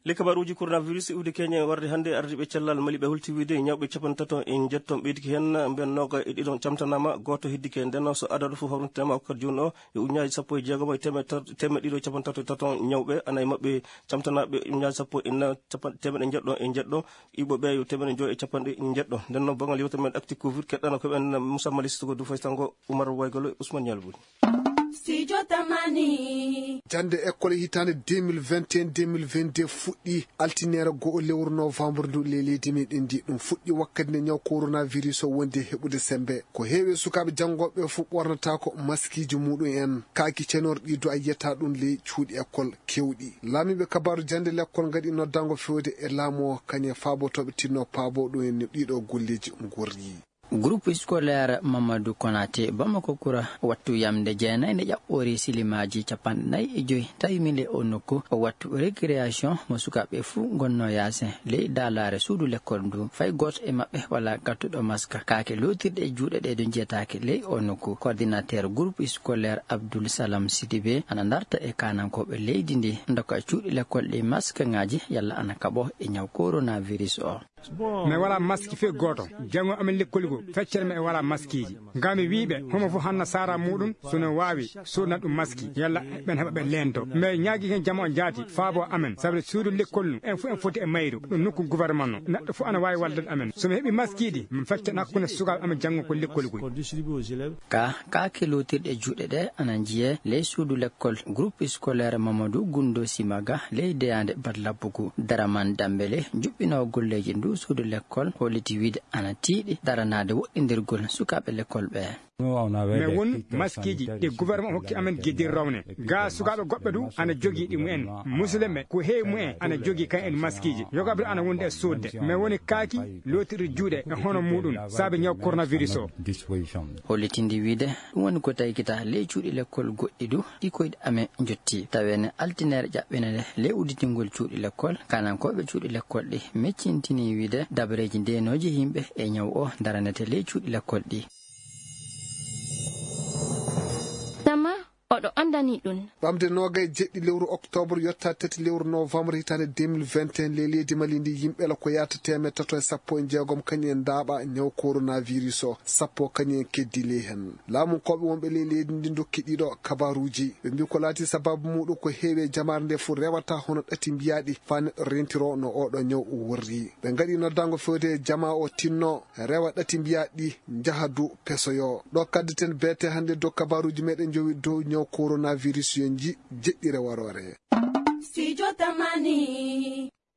le kabaruji coronavirus iwde Kenya warde hande ardiɓe cellal mali ɓe hultiwide ñawɓe 37 en jetton ɓeydiki hen mben noga e ɗiɗon camtanama goto hiddike nden so adadu fu hawrintema hokkata joni o e uñaji 16 temme ɗiɗo capan tato e taton ñawɓe anayi mabɓe camtanaɓe uñaji 10 temeɗe jeɗɗo e jeɗɗo iɓoɓe yo temeɗe joyi e capanɗe jeɗɗo nden noon bangal yewta men acti covid keɗɗano koɓen Moussa Malistogo du faytango Oumar Waygolo e Ousmane Yalbouri Studio Tamani jande école hitande 2021-2022 fuɗɗi altinere go'o lewru novembre ndu leydi meɗen ndi ɗum fuɗɗi wakkati nde ñaw coronavirus o wondi heɓude sembe ko heewi sukaɓe jangoɓe fu ɓornata ko maskiji muɗum en kaaki cenorɗi do a yiyata ɗum ley cuuɗi école kewɗi laamiɓe kabaru jande l'école gaɗi noddango fewde e laamu o kañe faabotoɓe tinno paabo ɗum en ɗiɗo golleji gorri. Groupe scolaire Mamadou Konaté Bamako Kura wattu yamde jeenay ne ƴaɓɓori silimaji 45 tawi mile o nokku o wattu récréation mo sukaɓe fuu gonno yasin ley dalare suudu l'école ndu fay goto e maɓɓe wala gattuɗo masque kaake lotirɗe e juuɗe ɗe ɗo jeetake ley o nokku coordinateur groupe scolaire Abdoul Salam Sidibé ana darta e kanankoɓe leydi ndi doka cuuɗi l'école ɗi masque ngaji yalla ana kaɓo e ñaw coronavirus o mais wala masque fe goto jango amen lekkoli go feccere me wala maskiji ngami wiibe homo fu hanna sara mudum sono wawi sodna dum maski yalla ben heba be lendo mais nyaagi ken jamo jaati faabo amen sabre suudu lekkol en fu en foti e mayru dum nokku gouvernement no neddo fu ana wawi walde amen so me hebi maskiji min feccana hakkunde sugal amen jango ko lekkoli go ka kelotirde juude de ana jiye les suudu lekkol groupe scolaire Mamadou Gundo Simaga ley deyande badlabugu daraman dambele jubbino golleji ndu suudu l'école holiti wiide ana tiiɗi daranade woɗɗindirgol sukaɓe l'école ɓe mais won maskiji ɗe gouvernement hokki amen guedir rawne ga sukaɓe goɓɓe du ana jogui ɗi mumen musidɓe ko heewi mumen ana jogui kan en maskiji yogaɓe ana wonde e sodde mais woni kaaki lotirde juuɗe e hono muɗum saabe ñaw coronavirus o hollitindi wiide ɗum woni ko taykita ley cuuɗi l'école goɗɗi du ɗi koyɗe amen jotti tawene altinere ƴaɓɓinede ley udditingol cuuɗi l'école kanankoɓe cuuɗi l'école ɗi meccintini wiide dabareji ndenoji yimɓe e ñaw o daranete ley cuuɗi l'école ɗi oɗo andani ɗum ɓamde nogay jeɗɗi lewru octobre yotta tati lewru novembre hitande 2021 le leydi Mali ndi yimɓela ko yata 316 kañum en daaɓa ñaw coronavirus o sappo kañum en keddi ley hen laamu koɓe wonɓe ley leydi ndi dokki ɗiɗo kabaruji ɓe mbi ko laati sababu muɗum ko heewi jamare nde fu rewata hono ɗati mbiyaɗi fa neɗɗo rentiro no oɗo ñaw worri ɓe gaɗi noddango fewde jama o tinno rewa ɗati mbiyaɗi jahadu pesoyo ɗo kaddeten beete hande dow kabaruji meɗen jowi dow ñaw coronavirus yo jeɗɗire warore Studio Tamani